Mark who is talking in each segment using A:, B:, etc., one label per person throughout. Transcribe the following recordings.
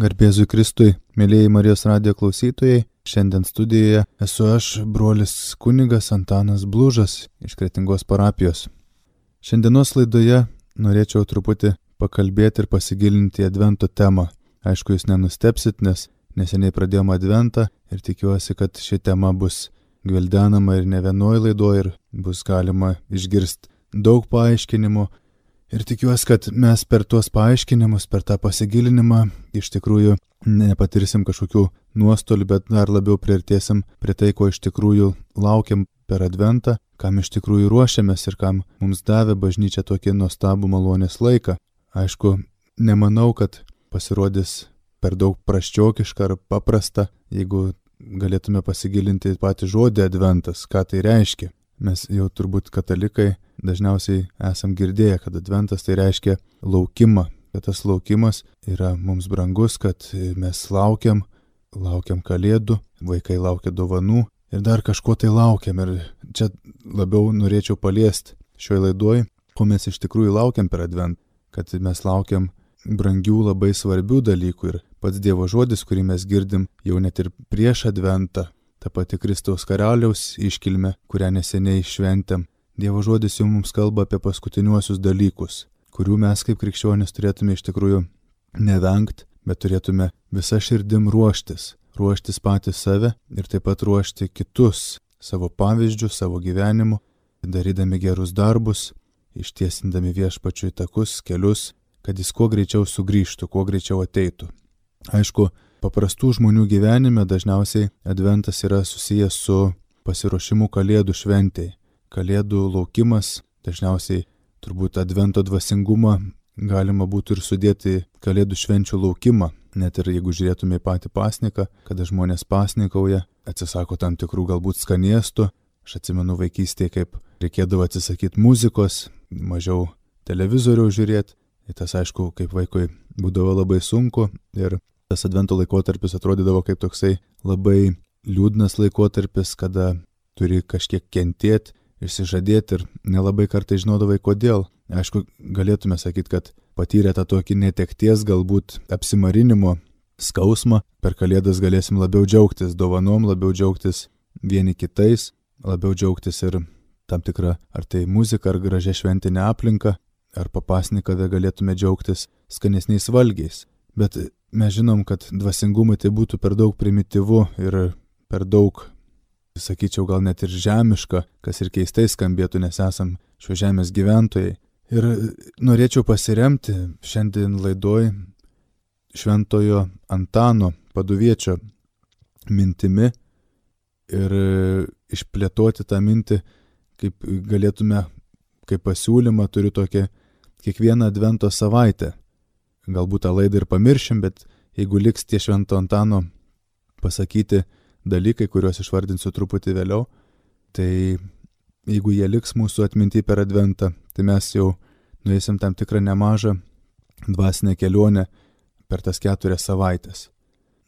A: Garbėzui Kristui, mėlyjei Marijos radijo klausytojai, šiandien studijoje esu aš, brolis kunigas Antanas Blužas iš Kretingos parapijos. Šiandienos laidoje norėčiau truputį pakalbėti ir pasigilinti į Advento temą. Aišku, jūs nenustepsit, nes neseniai pradėjome Adventą ir tikiuosi, kad ši tema bus gvildenama ir ne vienoj laidoje ir bus galima išgirsti daug paaiškinimų. Ir tikiuosi, kad mes per tuos paaiškinimus, per tą pasigilinimą iš tikrųjų nepatirsim kažkokių nuostolių, bet dar labiau priartėsim prie tai, ko iš tikrųjų laukiam per Adventą, kam iš tikrųjų ruošiamės ir kam mums davė bažnyčia tokį nuostabų malonės laiką. Aišku, nemanau, kad pasirodys per daug prasčiokiška ar paprasta, jeigu galėtume pasigilinti patį žodį Adventas, ką tai reiškia. Mes jau turbūt katalikai dažniausiai esam girdėję, kad Adventas tai reiškia laukimą, kad tas laukimas yra mums brangus, kad mes laukiam kalėdų, vaikai laukia dovanų ir dar kažko tai laukiam. Ir čia labiau norėčiau paliesti šioje laidoje, ko mes iš tikrųjų laukiam per Adventą, kad mes laukiam brangių labai svarbių dalykų ir pats Dievo žodis, kurį mes girdim jau net ir prieš Adventą, ta pati Kristaus karaliaus iškilmė, kurią neseniai šventėm. Dievo žodis jau mums kalba apie paskutiniuosius dalykus, kurių mes kaip krikščionys turėtume iš tikrųjų nevengti, bet turėtume visa širdim ruoštis patys save ir taip pat ruošti kitus savo pavyzdžių, savo gyvenimu, darydami gerus darbus, ištiesindami Viešpačiui takus, kelius, kad jis kuo greičiau sugrįžtų, kuo greičiau ateitų. Aišku, paprastų žmonių gyvenime dažniausiai Adventas yra susijęs su pasiruošimu Kalėdų šventei. Kalėdų laukimas, dažniausiai turbūt Advento dvasingumą galima būtų ir sudėti Kalėdų švenčių laukimą. Net ir jeigu žiūrėtume į patį pasniką, kada žmonės pasnikauja, atsisako tam tikrų galbūt skaniestų. Aš atsimenu vaikystėje, kaip reikėdavo atsisakyti muzikos, mažiau televizoriaus žiūrėti. Ir tas, aišku, kaip vaikui būdavo labai sunku ir tas Advento laikotarpis atrodydavo kaip toksai labai liūdnas laikotarpis, kada turi kažkiek kentėti, išsižadėti ir nelabai kartai žinodavai kodėl. Aišku, galėtume sakyti, kad patyrę tą tokį netekties, galbūt apsimarinimo skausmą, per Kalėdas galėsim labiau džiaugtis dovanom, labiau džiaugtis vieni kitais, labiau džiaugtis ir tam tikrą ar tai muziką, ar gražią šventinę aplinką, ar papasnikavę galėtume džiaugtis skanesniais valgiais. Bet mes žinom, kad dvasingumui tai būtų per daug primityvu ir per daug, sakyčiau, gal net ir žemiška, kas ir keistai skambėtų, nes esam šio žemės gyventojai. Ir norėčiau pasiremti šiandien laidoj šventojo Antano Paduviečio mintimi ir išplėtoti tą mintį, kaip galėtume, kaip pasiūlymą turiu tokią kiekvieną Advento savaitę. Galbūt tą laidą ir pamiršim, bet jeigu liks tie švento Antano pasakyti dalykai, kuriuos išvardinsiu truputį vėliau, tai jeigu jie liks mūsų atminty per Adventą, tai mes jau nueisim tam tikrą nemažą dvasinę kelionę per tas 4 savaitės.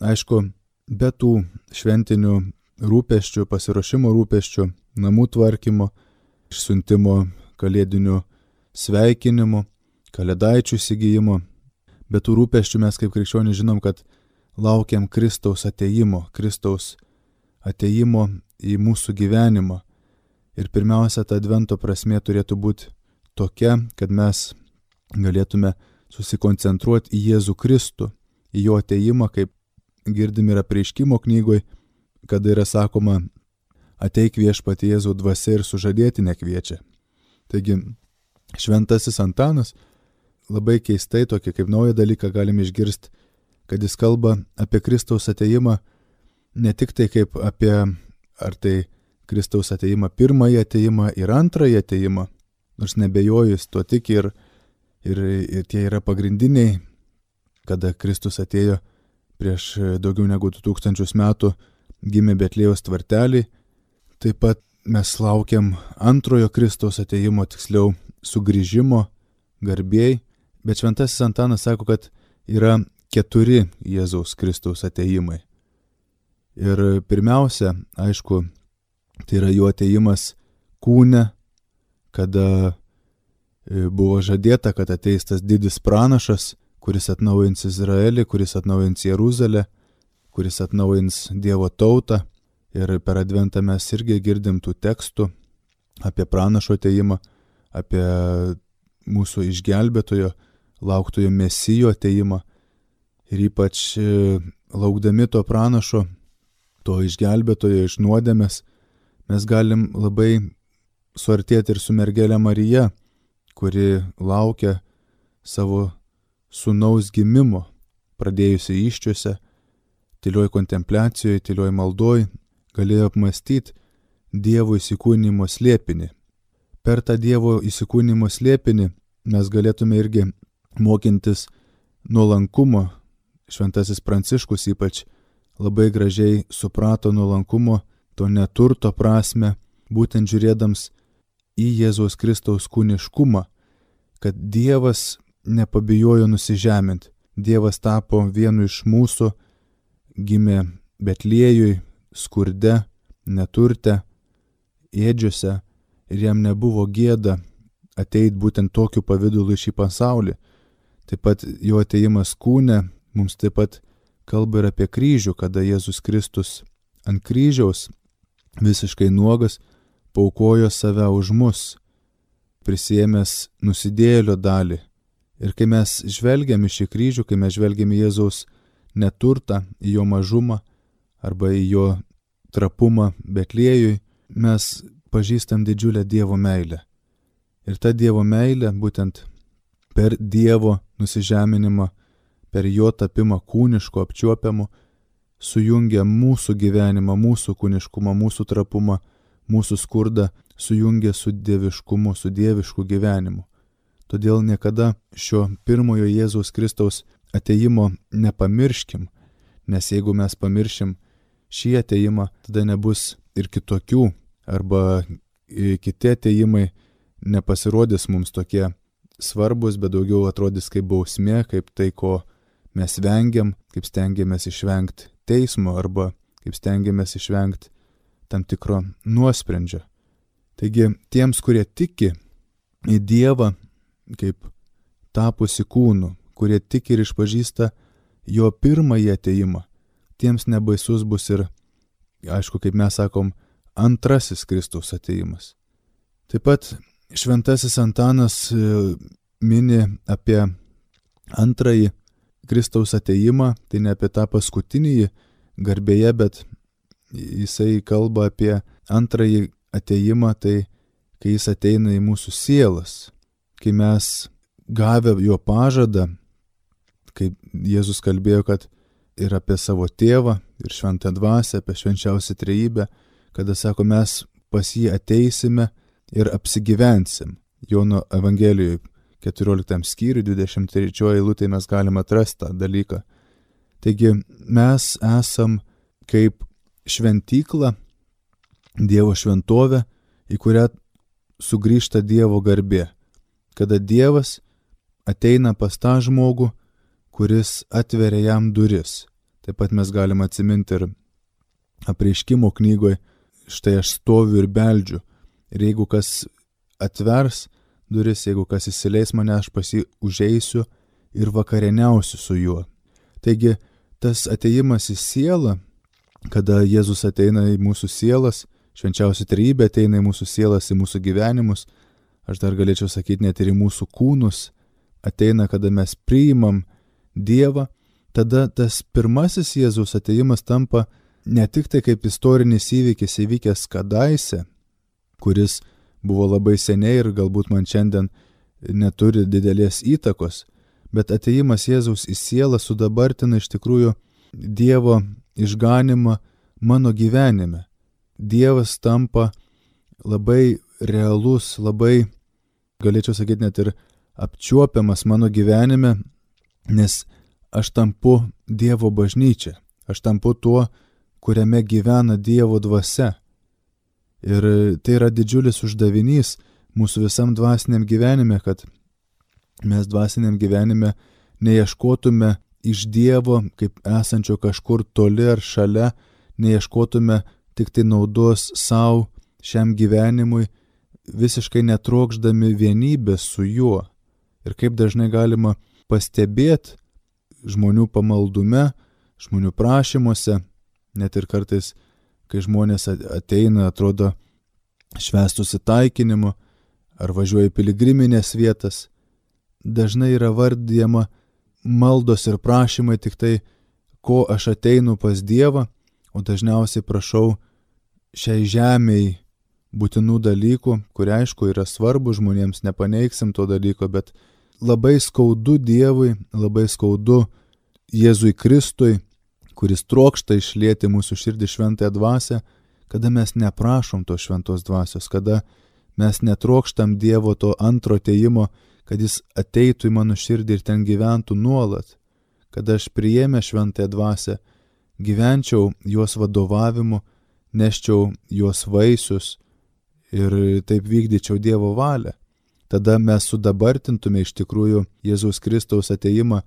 A: Aišku, be tų šventinių rūpesčių, pasiruošimo rūpesčių, namų tvarkymo, išsiuntimo kalėdinių sveikinimų, kalėdaičių įsigijimo, be tų rūpesčių mes kaip krikščionys žinom, kad laukiam Kristaus atėjimo į mūsų gyvenimą. Ir pirmiausia, ta Advento prasmė turėtų būti tokia, kad mes galėtume susikoncentruoti į Jėzų Kristų, į jo atėjimą, kaip girdim ir Apreiškimo knygoj, kada yra sakoma, ateik Viešpatie Jėzau dvasia ir sužadėtinė kviečia. Taigi, šventasis Antanas labai keistai tokį kaip naują dalyką galime išgirsti, kad jis kalba apie Kristaus atėjimą ne tik tai kaip apie ar tai Kristaus atėjimą, pirmąjį atėjimą ir antrąjį atėjimą, nors nebejoju, jis tuo tiki ir tie yra pagrindiniai, kada Kristus atėjo prieš daugiau negu 2000 metų, gimė Betliejaus tvartelį. Taip pat mes laukiam antrojo Kristaus atėjimo, tiksliau sugrįžimo garbėjai, bet šventasis Antanas sako, kad yra 4 Jėzaus Kristaus atėjimai. Ir pirmiausia, aišku, tai yra jo atėjimas kūne, kada buvo žadėta, kad ateis tas didis pranašas, kuris atnaujins Izraelį, kuris atnaujins Jeruzalę, kuris atnaujins Dievo tautą. Ir per Adventą mes irgi girdim tų tekstų apie pranašo atėjimą, apie mūsų išgelbėtojo, lauktojo Mesijo atėjimą. Ir ypač laukdami to pranašo, to išgelbėtojo iš nuodėmės, mes galim labai suartėti ir su mergelė Marija, kuri laukia savo sūnaus gimimo, pradėjusi įsčiose, tylioj kontempliacijoje, tylioj maldoj, galėjo apmastyti Dievo įsikūnijimo slėpinį. Per tą Dievo įsikūnijimo slėpinį mes galėtume irgi mokintis nuolankumo. Šventasis Pranciškus ypač labai gražiai suprato nuolankumo, to neturto prasme, būtent žiūrėdams į Jėzaus Kristaus kūniškumą, kad Dievas nepabijojo nusižeminti. Dievas tapo vienu iš mūsų, gimė Betliejui, skurde, neturte, ėdžiose, ir jam nebuvo gėda ateit būtent tokiu pavidalu į šį pasaulį. Taip pat jo atėjimas kūne mums taip pat kalba ir apie kryžių, kada Jėzus Kristus ant kryžiaus visiškai nuogas paaukojo save už mus, prisiėmęs nusidėjėlio dalį. Ir kai mes žvelgiam į šį kryžių, kai mes žvelgiam į Jėzaus neturtą, į jo mažumą arba į jo trapumą Betliejui, mes pažįstam didžiulę Dievo meilę. Ir ta Dievo meilė būtent per Dievo nusižeminimą, per jo tapimą kūnišku apčiuopiamu, sujungia mūsų gyvenimą, mūsų kūniškumą, mūsų trapumą, mūsų skurdą, sujungia su dieviškumu, su dievišku gyvenimu. Todėl niekada šio pirmojo Jėzaus Kristaus atėjimo nepamirškim, nes jeigu mes pamiršim šį atėjimą, tada nebus ir kitokių, arba kiti atėjimai nepasirodys mums tokie svarbus, bet daugiau atrodys kaip bausmė, kaip tai, ko mes vengiam, kaip stengiamės išvengti teismo, arba kaip stengiamės išvengti tam tikro nuosprendžio. Taigi tiems, kurie tiki į Dievą kaip tapusi kūnu, kurie tiki ir išpažįsta jo pirmąjį atėjimą, tiems nebaisus bus ir, aišku, kaip mes sakom, antrasis Kristaus atėjimas. Taip pat šventasis Antanas mini apie antrąjį Kristaus atėjimą, tai ne apie tą paskutinį garbėje, bet jisai kalba apie antrąjį atėjimą, tai kai jis ateina į mūsų sielas, kai mes gavę jo pažadą, kaip Jėzus kalbėjo, kad ir apie savo tėvą, ir šventą dvasią, apie švenčiausią trejybę, kada sako, mes pas jį ateisime ir apsigyvensim. Jono Evangelijoje 14 skyriui 23 eilutėje mes galime atrasti tą dalyką. Taigi mes esam kaip šventykla, Dievo šventovė, į kurią sugrįžta Dievo garbė, kada Dievas ateina pas tą žmogų, kuris atveria jam duris. Taip pat mes galime atsiminti ir Apreiškimo knygoje, štai aš stoviu ir beldžiu. Ir jeigu kas atvers duris, jeigu kas įsileis mane, aš pas jį užeisiu ir vakarieniausiu su juo. Taigi tas atėjimas į sielą, kada Jėzus ateina į mūsų sielas, švenčiausia trejybė ateina į mūsų sielas, į mūsų gyvenimus, aš dar galėčiau sakyti net ir į mūsų kūnus, ateina, kada mes priimam Dievą, tada tas pirmasis Jėzaus atėjimas tampa ne tik tai kaip istorinis įvykis įvykęs kadaise, kuris buvo labai seniai ir galbūt man šiandien neturi didelės įtakos, bet atėjimas Jėzaus į sielą sudabartina iš tikrųjų Dievo išganimą mano gyvenime. Dievas tampa labai realus, labai, galėčiau sakyti, net ir apčiuopiamas mano gyvenime, nes aš tampu Dievo bažnyčia, aš tampu tuo, kuriame gyvena Dievo dvasia. Ir tai yra didžiulis uždavinys mūsų visam dvasiniam gyvenime, kad mes dvasiniam gyvenime neieškotume iš Dievo kaip esančio kažkur toli ar šalia, neieškotume tik tai naudos savo šiam gyvenimui, visiškai netrokšdami vienybės su juo. Ir kaip dažnai galima pastebėti žmonių pamaldume, žmonių prašymuose, net ir kartais, kai žmonės ateina, atrodo, švęst susitaikinimu ar važiuoja į piligriminės vietas, dažnai yra vardijama maldos ir prašymai tik tai, ko aš ateinu pas Dievą, o dažniausiai prašau šiai žemei būtinų dalykų, kurie aišku yra svarbu žmonėms, nepaneigsim to dalyko, bet labai skaudu Dievui, labai skaudu Jėzui Kristui, kuris trokšta išlieti mūsų širdį šventąją dvasią, kada mes neprašom to šventos dvasios, kada mes netrokštam Dievo to antro atėjimo, kad jis ateitų į mano širdį ir ten gyventų nuolat, kada aš priėmę šventąją dvasią, gyvenčiau jos vadovavimu, neščiau jos vaisius ir taip vykdyčiau Dievo valią. Tada mes sudabartintume iš tikrųjų Jėzaus Kristaus atėjimą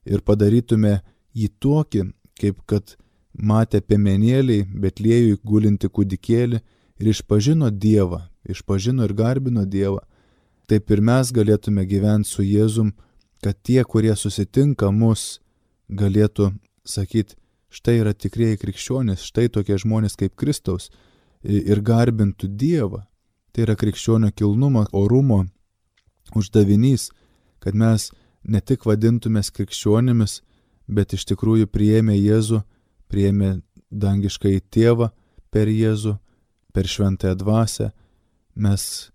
A: ir padarytume jį tokį, kaip kad matė piemenėliai Betliejui gulinti kūdikėlį ir išpažino Dievą, išpažino ir garbino Dievą. Taip ir mes galėtume gyventi su Jėzum, kad tie, kurie susitinka mus, galėtų sakyti, štai yra tikrieji krikščionys, štai tokie žmonės kaip Kristaus ir garbintų Dievą. Tai yra krikščionio kilnumo, orumo uždavinys, kad mes ne tik vadintumės krikščionimis, bet iš tikrųjų priėmė Jėzų, priėmė dangiškąjį tėvą per Jėzų, per šventąją dvasią, mes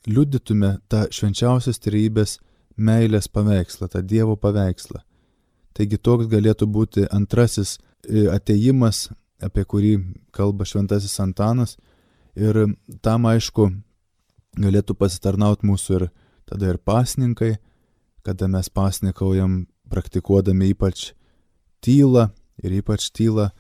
A: liudytume tą švenčiausios trejybės meilės paveikslą, tą Dievo paveikslą. Taigi toks galėtų būti antrasis atėjimas, apie kurį kalba šventasis Antanas, ir tam aišku galėtų pasitarnauti mūsų ir tada ir pasninkai, kada mes pasnikaujam praktikuodami ypač tylą ir ypač tylą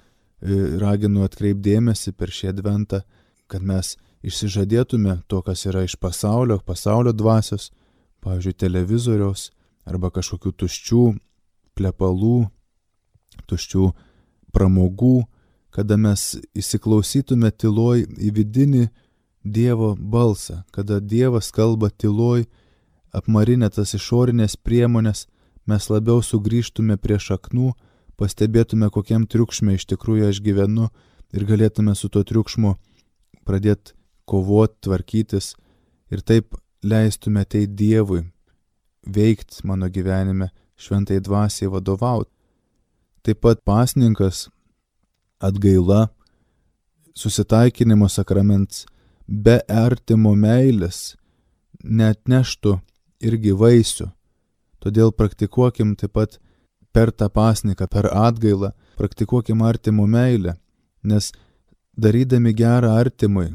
A: raginu atkreipdėmėsi per šį adventą, kad mes išsižadėtume to, kas yra iš pasaulio dvasios, pavyzdžiui, televizoriaus arba kažkokių tuščių plepalų, tuščių pramogų, kada mes įsiklausytume tyloj į vidinį Dievo balsą, kada Dievas kalba tyloj, apmarinę tas išorinės priemonės, mes labiau sugrįžtume prie šaknų, pastebėtume, kokiam triukšme iš tikrųjų aš gyvenu ir galėtume su tuo triukšmu pradėti kovoti, tvarkytis ir taip leistume ateiti Dievui, veikti mano gyvenime, šventai dvasiai vadovauti. Taip pat pasninkas, atgaila, susitaikinimo sakramentas be artimo meilės neatneštų irgi vaisių. Todėl praktikuokim taip pat per tą pasninką, per atgailą, praktikuokim artimo meilę, nes darydami gerą artimui,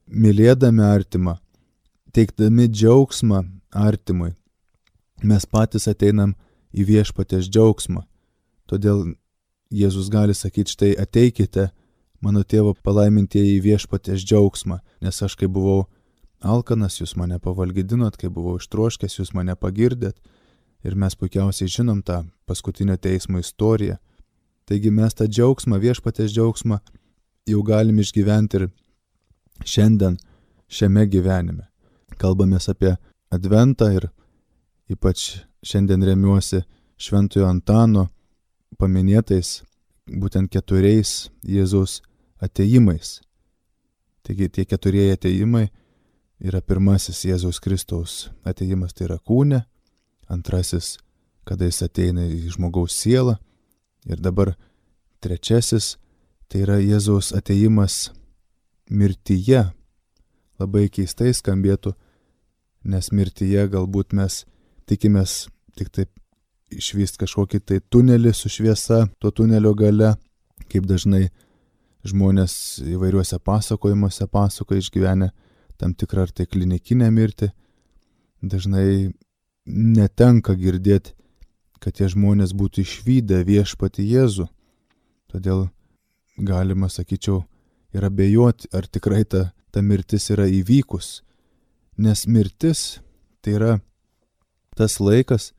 A: mylėdami artimą, teikdami džiaugsmą artimui, mes patys ateinam į viešpaties džiaugsmą. Todėl Jėzus gali sakyti, štai ateikite, mano tėvo palaimintieji į viešpaties džiaugsmą, nes aš kai buvau alkanas, jūs mane pavalgydinot, kai buvau ištroškęs, jūs mane pagirdėt. Ir mes puikiausiai žinom tą paskutinio teismo istoriją. Taigi mes tą džiaugsmą, viešpaties džiaugsmą jau galim išgyventi ir šiandien, šiame gyvenime. Kalbamės apie adventą ir ypač šiandien remiuosi šventojo Antano paminėtais būtent 4 Jėzaus atėjimais. Taigi tie 4 atėjimai yra pirmasis Jėzaus Kristaus atėjimas, tai yra kūne, antrasis, kada jis ateina į žmogaus sielą, ir dabar trečiasis, tai yra Jėzaus atėjimas mirtyje. Labai keistai skambėtų, nes mirtyje galbūt mes tikimės tik taip išvyst kažkokį tai tunelį su šviesa, to tunelio gale, kaip dažnai žmonės įvairiuose pasakojimuose pasakoja išgyvenę tam tikrą ar tai klinikinę mirtį. Dažnai netenka girdėti, kad tie žmonės būtų išvydę viešpatį Jėzų. Todėl galima, sakyčiau, ir abejoti, ar tikrai ta mirtis yra įvykus. Nes mirtis tai yra tas laikas,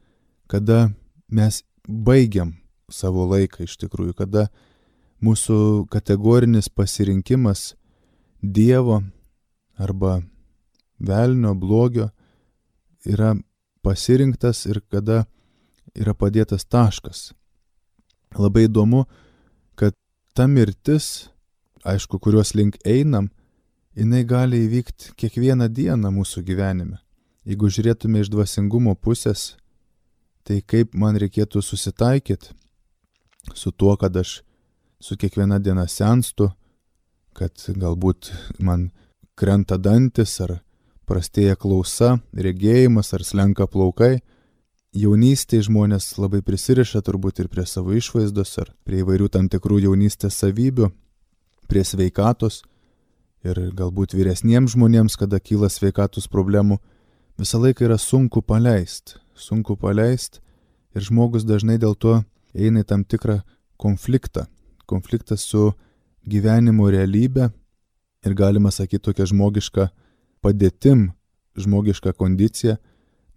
A: kada mes baigiam savo laiką iš tikrųjų, kada mūsų kategorinis pasirinkimas Dievo arba velnio blogio yra pasirinktas ir kada yra padėtas taškas. Labai įdomu, kad ta mirtis, aišku, kurios link einam, jinai gali įvykti kiekvieną dieną mūsų gyvenime. Jeigu žiūrėtume iš dvasingumo pusės, tai kaip man reikėtų susitaikyti su tuo, kad aš su kiekviena diena senstu, kad galbūt man krenta dantis, ar prastėja klausa, regėjimas, ar slenka plaukai. Jaunystėje žmonės labai prisiriša turbūt ir prie savo išvaizdos, ar prie įvairių tam tikrų jaunystės savybių, prie sveikatos. Ir galbūt vyresniems žmonėms, kada kyla sveikatos problemų, visą laiką yra sunku paleist. Ir žmogus dažnai dėl to eina į tam tikrą konfliktą. Konfliktas su gyvenimo realybė ir galima sakyti tokia žmogiška padėtim, žmogiška kondicija,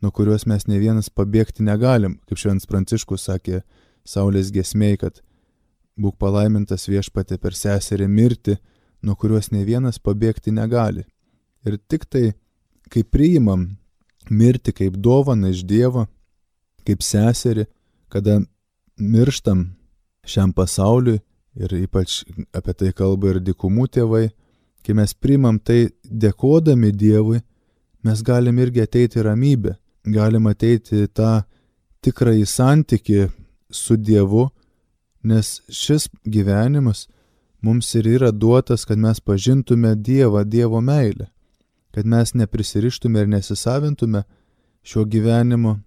A: nuo kurios mes ne vienas pabėgti negalim. Kaip Šventas Pranciškus sakė Saulės giesmėj, kad būk palaimintas Viešpatie per seserį mirtį, nuo kurios ne vienas pabėgti negali. Ir tik tai, kai priimam mirtį kaip dovaną iš Dievo, kaip seserį, kada mirštam šiam pasauliui, ir ypač apie tai kalba ir dykumų tėvai, kai mes priimam tai dėkodami Dievui, mes galim irgi ateiti į ramybę, galim ateiti į tą tikrąjį santykį su Dievu, nes šis gyvenimas mums ir yra duotas, kad mes pažintume Dievą, Dievo meilę, kad mes neprisirištume ir nesisavintume šio gyvenimo,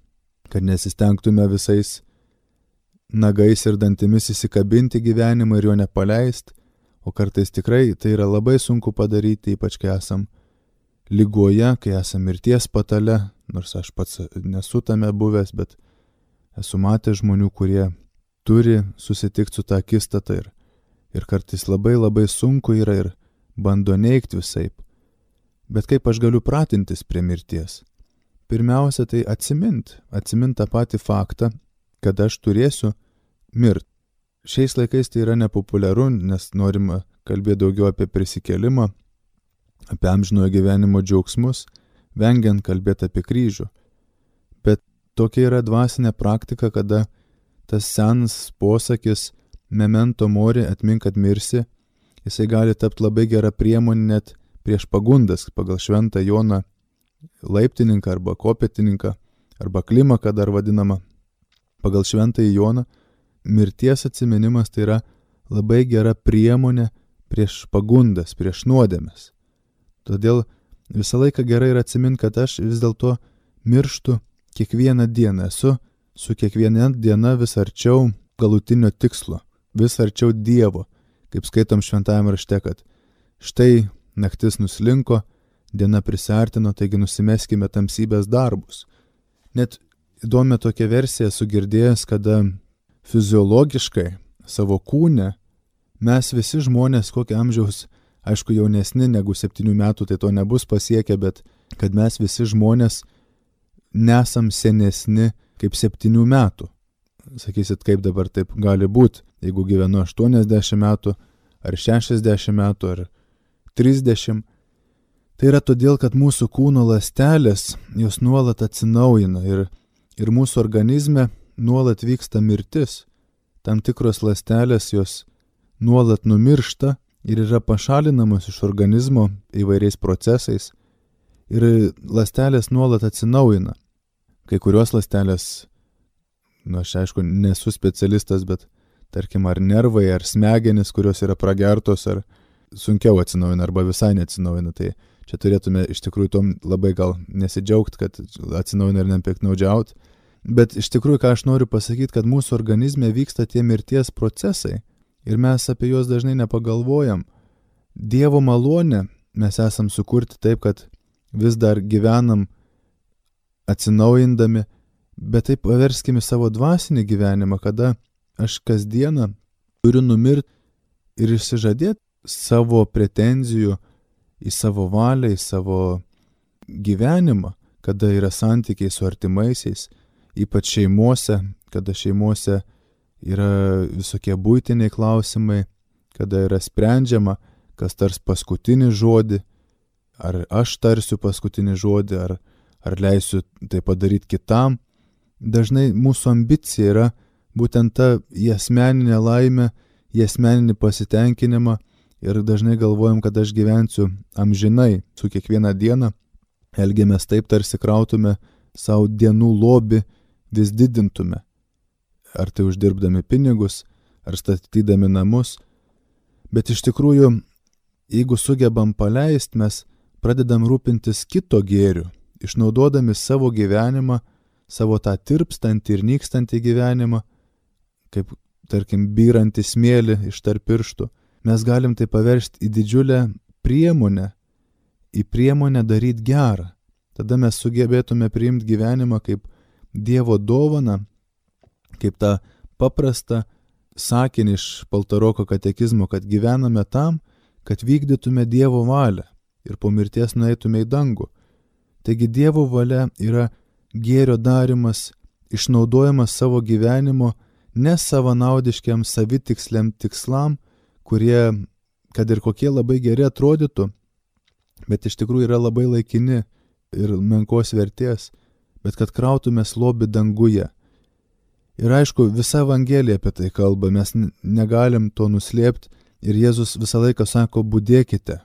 A: kad nesistengtume visais nagais ir dantimis įsikabinti gyvenimą ir jo nepaleist, o kartais tikrai tai yra labai sunku padaryti, ypač kai esam ligoje, kai esam mirties patale, nors aš pats nesu tame buvęs, bet esu matęs žmonių, kurie turi susitikti su tą akistatą ir kartais labai labai sunku yra ir bando neigti visaip. Bet kaip aš galiu pratintis prie mirties? Pirmiausia, tai atsimint tą patį faktą, kad aš turėsiu mirti. Šiais laikais tai yra nepopuliaru, nes norima kalbėti daugiau apie prisikėlimą, apie amžinojo gyvenimo džiaugsmus, vengiant kalbėti apie kryžių. Bet tokia yra dvasinė praktika, kada tas senas posakis memento mori, atmink, kad mirsi, jisai gali tapti labai gera priemonė net prieš pagundas, pagal Šventą Joną Laiptininką arba Kopetininką, arba Klimaką dar vadinamą. Pagal Šventąjį Joną mirties atsiminimas tai yra labai gera priemonė prieš pagundas, prieš nuodėmes. Todėl visą laiką gerai yra atsiminti, kad aš vis dėlto mirštu kiekvieną dieną, esu su kiekviena diena vis arčiau galutinio tikslo, vis arčiau Dievo, kaip skaitom Šventajame rašte, kad štai naktis nuslinko, diena prisiartino, taigi nusimeskime tamsybės darbus. Net įdomi tokia versija esu girdėjęs, kada fiziologiškai savo kūne mes visi žmonės, kokio amžiaus, aišku, jaunesni negu 7 metų, tai to nebus pasiekę, bet kad mes visi žmonės nesam senesni kaip 7 metų. Sakysit, kaip dabar taip gali būti, jeigu gyvenu 80 metų, ar 60 metų, ar 30. Tai yra todėl, kad mūsų kūno ląstelės, jos nuolat atsinaujina ir mūsų organizme nuolat vyksta mirtis. Tam tikros ląstelės jos nuolat numiršta ir yra pašalinamos iš organizmo įvairiais procesais ir ląstelės nuolat atsinaujina. Kai kurios ląstelės, aš aišku nesu specialistas, bet tarkim ar nervai, ar smegenys, kurios yra pragertos, ar sunkiau atsinaujina, arba visai neatsinaujina. Tai čia turėtume iš tikrųjų tom labai gal nesidžiaugti, kad atsinaujina ir nepiktnaudžiauti. Bet iš tikrųjų, ką aš noriu pasakyti, kad mūsų organizme vyksta tie mirties procesai ir mes apie juos dažnai nepagalvojam. Dievo malonė mes esam sukurti taip, kad vis dar gyvenam atsinaujindami, bet taip paverskime savo dvasinį gyvenimą, kada aš kasdieną turiu numirti ir išsižadėti savo pretenzijų į savo valią, į savo gyvenimą, kada yra santykiai su artimaisiais, ypač šeimose, kada šeimose yra visokie buitiniai klausimai, kada yra sprendžiama, kas tars paskutinį žodį, ar aš tarsiu paskutinį žodį, ar leisiu tai padaryti kitam. dažnai mūsų ambicija yra būtent ta į asmeninę laimę, į asmeninį pasitenkinimą ir dažnai galvojam, kad aš gyvensiu amžinai su kiekvieną dieną, elgiamės taip, tarsi krautume savo dienų lobį, vis didintume. Ar tai uždirbdami pinigus, ar statydami namus. Bet iš tikrųjų, jeigu sugebam paleisti, mes pradedam rūpintis kito gėriu, išnaudodami savo gyvenimą, savo tą tirpstantį ir nykstantį gyvenimą, kaip, tarkim, byrantį smėlį iš tarp pirštų. Mes galim tai paversti į didžiulę priemonę, į priemonę daryti gerą. Tada mes sugebėtume priimti gyvenimą kaip Dievo dovaną, kaip tą paprastą sakinį iš Paltaroko katekizmo, kad gyvename tam, kad vykdytume Dievo valią ir po mirties nueitume į dangų. Taigi Dievo valia yra gėrio darimas, išnaudojimas savo gyvenimo ne savanaudiškiam savitiksliam tikslam, kurie, kad ir kokie labai geri atrodytų, bet iš tikrųjų yra labai laikini ir menkos vertės, bet kad krautume lobį danguje. Ir aišku, visa Evangelija apie tai kalba, mes negalim to nuslėpti ir Jėzus visą laiką sako, budėkite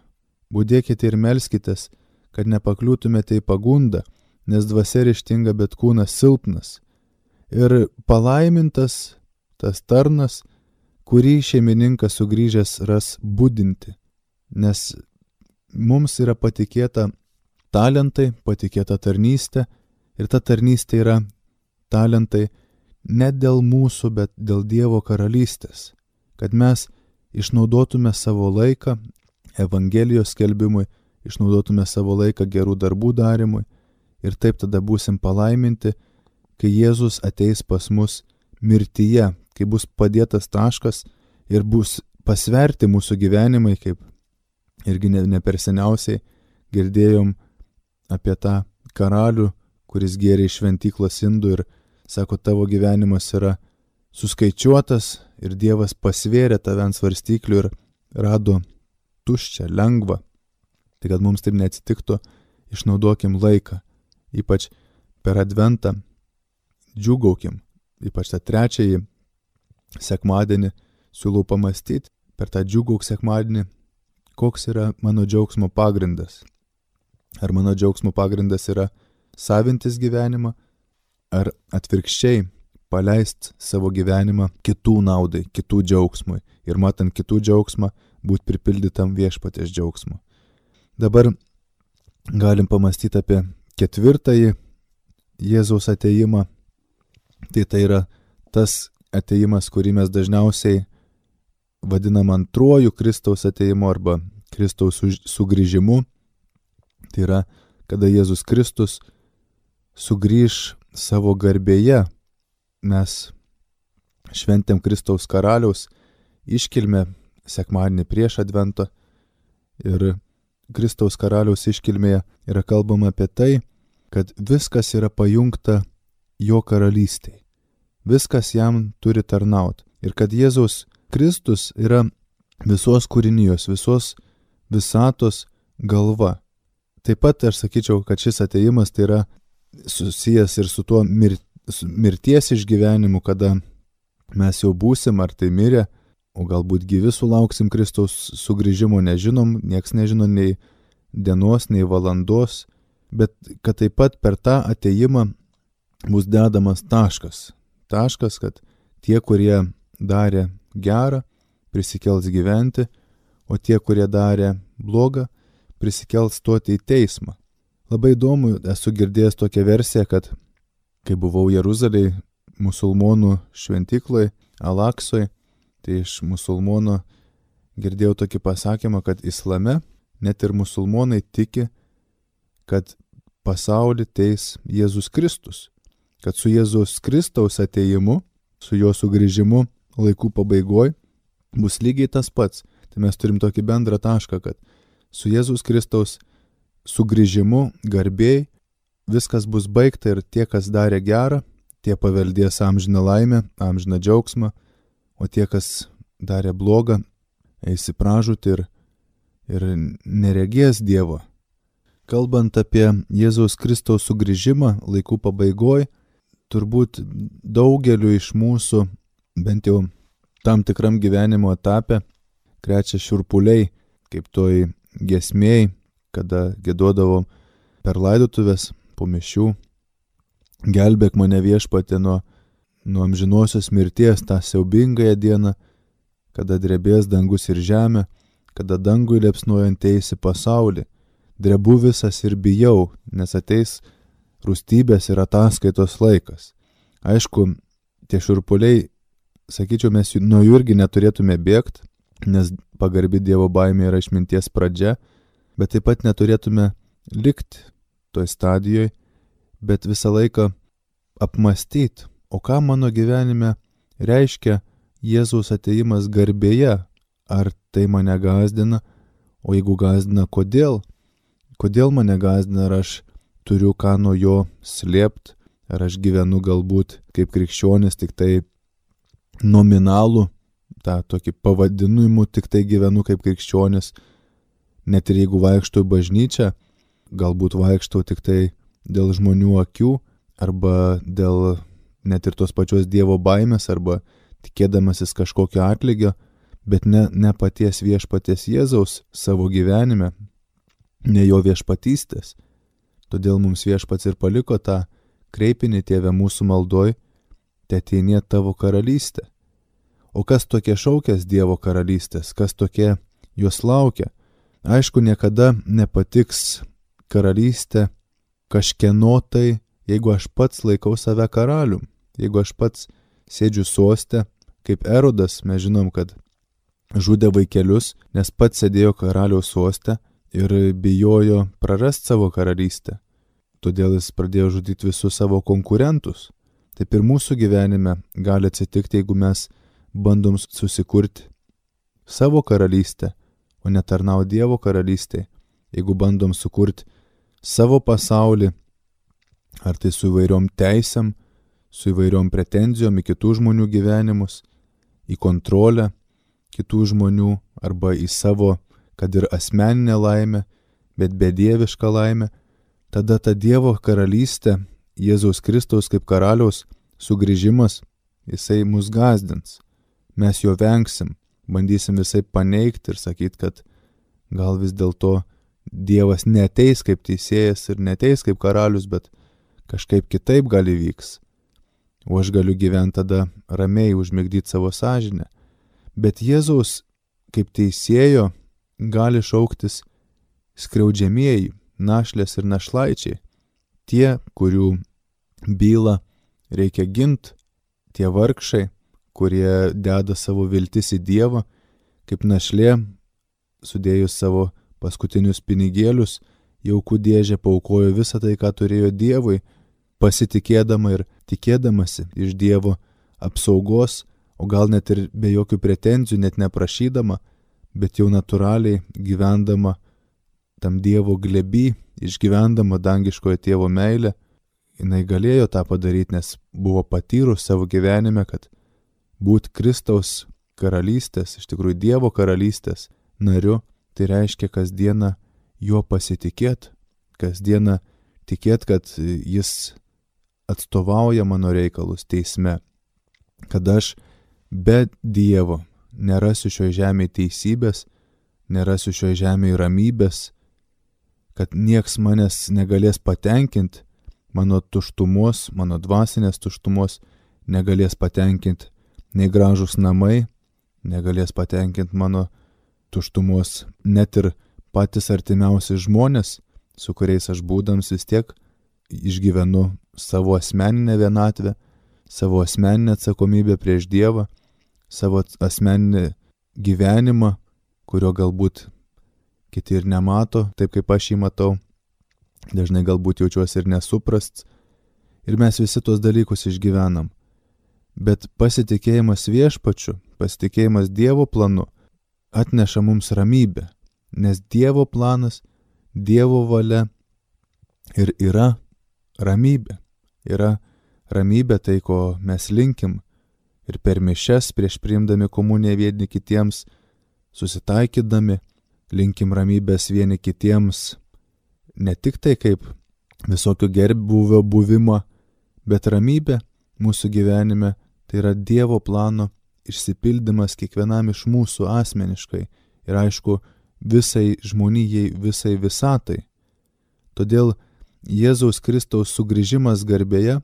A: ir melskitės, kad nepakliūtumėte į pagundą, nes dvasia ryžtinga, bet kūnas silpnas. Ir palaimintas tas tarnas, kurį šeimininkas sugrįžęs ras budinti, nes mums yra patikėta talentai, patikėta tarnystė ir ta tarnystė yra talentai ne dėl mūsų, bet dėl Dievo karalystės, kad mes išnaudotume savo laiką Evangelijos skelbimui, išnaudotume savo laiką gerų darbų darimui ir taip tada būsim palaiminti, kai Jėzus ateis pas mus mirtyje, kai bus padėtas taškas ir bus pasverti mūsų gyvenimai, kaip irgi ne per seniausiai girdėjom apie tą karalių, kuris gėrė iš šventyklos indų ir sako, tavo gyvenimas yra suskaičiuotas ir Dievas pasvėrė tave ant svarstyklių ir rado tuščią, lengvą. Tai kad mums taip neatsitiktų, išnaudokim laiką, ypač per Adventą, džiūgaukim, ypač tą trečiąjį sekmadienį siūlau pamastyti per tą džiūgauk sekmadienį, koks yra mano džiaugsmo pagrindas. Ar mano džiaugsmo pagrindas yra savintis gyvenimą, ar atvirkščiai paleist savo gyvenimą kitų naudai, kitų džiaugsmui ir matant kitų džiaugsmą, būt pripildytam viešpaties džiaugsmu. Dabar galim pamastyti apie ketvirtąjį Jėzaus atėjimą. Tai yra tas atėjimas, kurį mes dažniausiai vadinam antruoju Kristaus atėjimu arba Kristaus sugrįžimu. Tai yra, kada Jėzus Kristus sugrįž savo garbėje. Mes šventėm Kristaus karaliaus iškilmę sekmadienį prieš Adventą ir Kristaus karaliaus iškilmėje yra kalbama apie tai, kad viskas yra pajungta jo karalystėje. Viskas jam turi tarnauti. Ir kad Jėzaus Kristus yra visos kūrinijos, visos visatos galva. Taip pat aš sakyčiau, kad šis atėjimas tai yra susijęs ir su tuo mirties išgyvenimu, kada mes jau būsim ar tai mirę, o galbūt gyvi sulauksim Kristaus sugrįžimo, nežinom, nieks nežino nei dienos, nei valandos, bet kad taip pat per tą atėjimą bus dedamas taškas. Taškas, kad tie, kurie darė gerą, prisikels gyventi, o tie, kurie darė blogą, prisikels stoti į teismą. Labai įdomu, esu girdėjęs tokią versiją, kad kai buvau Jeruzalėje, musulmonų šventykloj, Alaksoj, tai iš musulmono girdėjau tokį pasakymą, kad islame net ir musulmonai tiki, kad pasaulį teis Jėzus Kristus, kad su Jėzus Kristaus atėjimu, su jo sugrįžimu laikų pabaigoj bus lygiai tas pats. Tai mes turim tokį bendrą tašką, kad su Jėzus Kristaus sugrįžimu garbėj viskas bus baigta ir tie, kas darė gerą, tie paveldės amžiną laimę, amžiną džiaugsmą, o tie, kas darė blogą, eis į pražūtį ir neregės Dievo. Kalbant apie Jėzaus Kristaus sugrįžimą laikų pabaigoj, turbūt daugeliu iš mūsų, bent jau tam tikram gyvenimo etape, krečia šiurpuliai, kaip toj giesmėj, kada giedodavom per laidotuvės po mišių. Gelbėk mane Viešpatie nuo amžinosios mirties, tą siaubingąją dieną, kada drebės dangus ir žemė, kada dangui liepsnojant eisi pasaulį. Drebu visas ir bijau, nes ateis rūstybės ir ataskaitos laikas. Aišku, tie šiurpuliai, sakyčiau, mes nuo jų irgi neturėtume bėgti, nes pagarbi Dievo baimė yra išminties pradžia, bet taip pat neturėtume likti toj stadijoje, bet visą laiką apmastyti, o ką mano gyvenime reiškia Jėzaus atėjimas garbėje, ar tai mane gąsdina, o jeigu gąsdina, kodėl? Kodėl mane gąsdina, ar aš turiu ką nuo jo slėpti, ar aš gyvenu galbūt kaip krikščionis tik tai nominalų, tą tokį pavadinimu tik tai gyvenu kaip krikščionis, net ir jeigu vaikštau į bažnyčią, galbūt vaikštau tik tai dėl žmonių akių, arba dėl net ir tos pačios Dievo baimės, arba tikėdamasis kažkokio atlygio, bet ne paties viešpaties Jėzaus savo gyvenime, ne jo viešpatystės. Todėl mums viešpats ir paliko tą kreipinį: Tėve mūsų maldoj, teateinie tavo karalystė. O kas tokie šaukės Dievo karalystės, kas tokie jos laukia? Aišku, niekada nepatiks karalystė kažkieno tai, jeigu aš pats laikau save karalium, jeigu aš pats sėdžiu soste, kaip Erodas, mes žinom, kad žudė vaikelius, nes pats sėdėjo karaliaus soste ir bijojo prarasti savo karalystę. Todėl jis pradėjo žudyti visus savo konkurentus. Taip ir mūsų gyvenime gali atsitikti, jeigu mes bandom susikurti savo karalystę, o netarnauti Dievo karalystėje. Jeigu bandom sukurti savo pasaulį, ar tai su įvairiom teisėm, su įvairiom pretenzijom į kitų žmonių gyvenimus, į kontrolę kitų žmonių, arba į savo, kad ir asmeninę laimę, bet bedievišką laimę, tada ta Dievo karalystė, Jėzaus Kristaus kaip karaliaus sugrįžimas, jisai mus gąsdins. Mes jo vengsim, bandysim visai paneigti ir sakyti, kad gal vis dėlto Dievas neteis kaip teisėjas ir neteis kaip karalius, bet kažkaip kitaip gali vyks. O aš galiu gyventi tada ramiai, užmigdyti savo sąžinę. Bet Jėzaus kaip teisėjo gali šauktis skriaudžiamieji, našlės ir našlaičiai, tie, kurių bylą reikia ginti, tie vargšai, kurie deda savo viltis į Dievą, kaip našlė, sudėjus savo paskutinius pinigėlius, jaukų dėžę paaukojo visą tai, ką turėjo Dievui, pasitikėdama ir tikėdamasi iš Dievo apsaugos, o gal net ir be jokių pretenzijų, net neprašydama, bet jau natūraliai gyvendama tam Dievo glėby, išgyvendama dangiškojo tėvo meilę, jinai galėjo tą padaryti, nes buvo patyrus savo gyvenime, kad būt Kristaus karalystės, iš tikrųjų Dievo karalystės nariu, tai reiškia kasdieną juo pasitikėt, kasdieną tikėt, kad jis atstovauja mano reikalus teisme, kad aš be Dievo nerasiu šioje žemėje teisybės, nerasiu šioje žemėje ramybės, kad nieks manęs negalės patenkinti, mano tuštumos, mano dvasinės tuštumos negalės patenkinti nei gražus namai, negalės patenkinti mano tuštumos net ir patys artimiausi žmonės, su kuriais aš būdams vis tiek išgyvenu savo asmeninę vienatvę, savo asmeninę atsakomybę prieš Dievą, savo asmeninį gyvenimą, kurio galbūt kiti ir nemato, taip kaip aš jį matau. Dažnai galbūt jaučiuosi ir nesuprast. Ir mes visi tuos dalykus išgyvenam. Bet pasitikėjimas viešpačiu, pasitikėjimas Dievo planu atneša mums ramybę. Nes Dievo planas, Dievo valia ir yra ramybė. Yra ramybė tai, ko mes linkim. Ir per mišias, prieš priimdami komuniją vieni kitiems, susitaikydami, linkim ramybės vieni kitiems, ne tik tai kaip visokio gerbūvio buvimą, Bet ramybė mūsų gyvenime tai yra Dievo plano išsipildymas kiekvienam iš mūsų asmeniškai ir aišku visai žmonijai, visai visatai. Todėl Jėzaus Kristaus sugrįžimas garbėje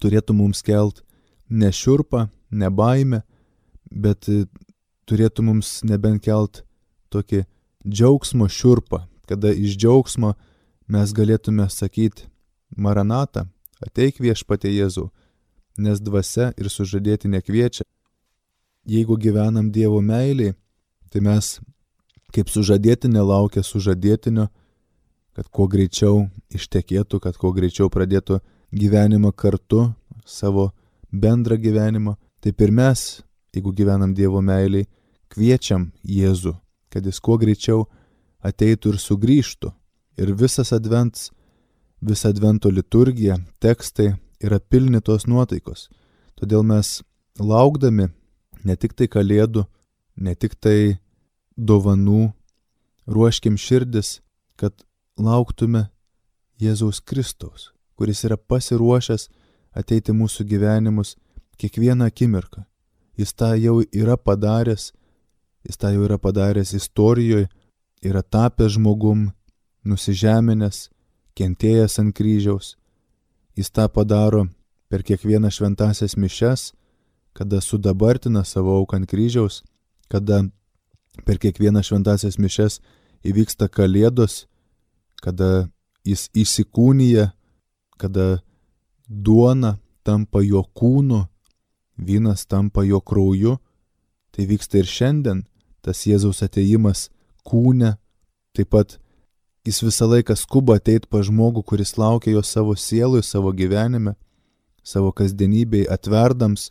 A: turėtų mums kelt ne šiurpą, ne baimę, bet turėtų mums nebent kelt tokį džiaugsmo šiurpą, kada iš džiaugsmo mes galėtume sakyti Maranatą, ateik viešpatie Jėzau, nes dvasia ir sužadėtinė kviečia. Jeigu gyvenam Dievo meiliai, tai mes kaip sužadėtinė laukia sužadėtinio, kad kuo greičiau ištekėtų, kad kuo greičiau pradėtų gyvenimą kartu, savo bendrą gyvenimą. Taip ir mes, jeigu gyvenam Dievo meiliai, kviečiam Jėzų, kad jis kuo greičiau ateitų ir sugrįžtų. Ir visa advento liturgija, tekstai yra pilni tos nuotaikos. Todėl mes laukdami ne tik tai kalėdų, ne tik tai dovanų, ruoškim širdis, kad lauktume Jėzaus Kristaus, kuris yra pasiruošęs ateiti mūsų gyvenimus kiekvieną akimirką. Jis tą jau yra padaręs istorijoje, yra tapęs žmogum, nusižeminęs, kentėjęs ant kryžiaus. Jis tą padaro per kiekvieną šventąsias mišias, kada sudabartina savo auką ant kryžiaus, kada per kiekvieną šventąsias mišias įvyksta kalėdos, kada jis įsikūnija, kada duona tampa jo kūnu, vynas tampa jo krauju. Tai vyksta ir šiandien, tas Jėzaus atėjimas kūne. Taip pat jis visą laiką skuba ateit pas žmogų, kuris laukia jo savo sielui, savo gyvenime, savo kasdienybei, atverdams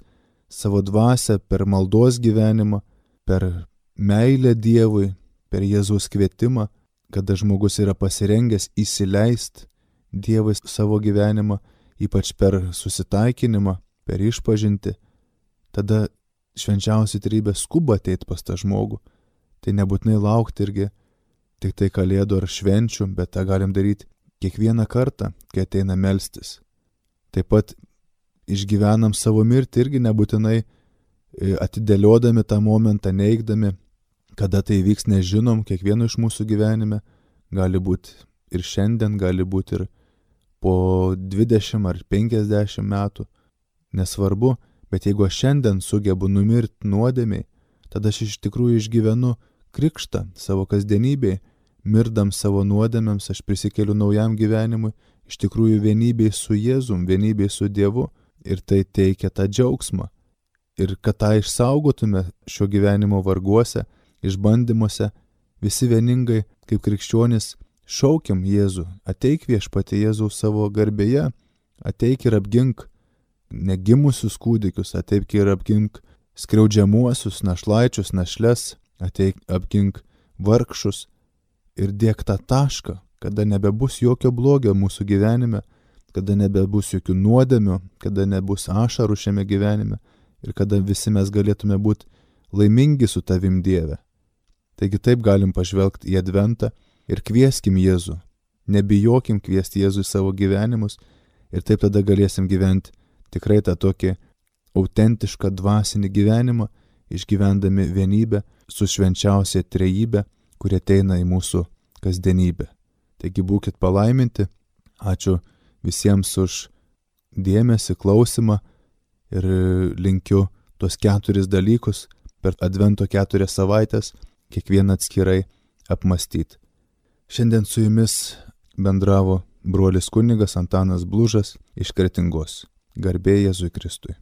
A: savo dvasią per maldos gyvenimą, per meilę Dievui, per Jėzaus kvietimą, kada žmogus yra pasirengęs įsileist Dievui savo gyvenimą, ypač per susitaikinimą, per išpažintį. Tada švenčiausia trejybė skuba ateit pas tą žmogų. Tai nebūtinai laukti irgi tik tai kalėdų ar švenčių, bet tą galim daryti kiekvieną kartą, kai ateina melstis. Taip pat išgyvenam savo mirtį irgi nebūtinai atidėliodami tą momentą, neigdami, kada tai vyks, nežinom, kiekvieno iš mūsų gyvenime. Gali būti ir šiandien, gali būti ir po 20 ar 50 metų. Nesvarbu, bet jeigu aš šiandien sugebu numirti nuodėmiai, tada aš iš tikrųjų išgyvenu krikštą savo kasdienybėj, mirdam savo nuodėmėms, aš prisikeliu naujam gyvenimui, iš tikrųjų vienybėj su Jėzum, vienybėj su Dievu, ir tai teikia tą džiaugsmą. Ir kad tą išsaugotume šio gyvenimo varguose, išbandymuose, visi vieningai kaip krikščionys šaukiam Jėzų, ateik viešpatie Jėzau savo garbėje, ateik ir apgink negimusius kūdikius, ateik ir apgink skriaudžiamuosius, našlaičius, našles, ateik apgink vargšus ir dėk tą tašką, kada nebebus jokio blogio mūsų gyvenime, kada nebebus jokių nuodėmių, kada nebus ašarų šiame gyvenime ir kada visi mes galėtume būti laimingi su tavim Dieve. Taigi taip galim pažvelgti į adventą ir kvieskim Jėzų. Nebijokim kviesti Jėzų į savo gyvenimus ir taip tada galėsim gyventi tikrai tą tokį autentišką dvasinį gyvenimą, išgyvendami vienybę su švenčiausia trejybe, kuri ateina į mūsų kasdienybę. Taigi būkit palaiminti. Ačiū visiems už dėmesį, klausimą ir linkiu tuos 4 dalykus per advento 4 savaitės kiekvieną atskirai apmastyti. Šiandien su jumis bendravo brolis kunigas Antanas Blužas iš Kretingos. Garbė Jėzui Kristui.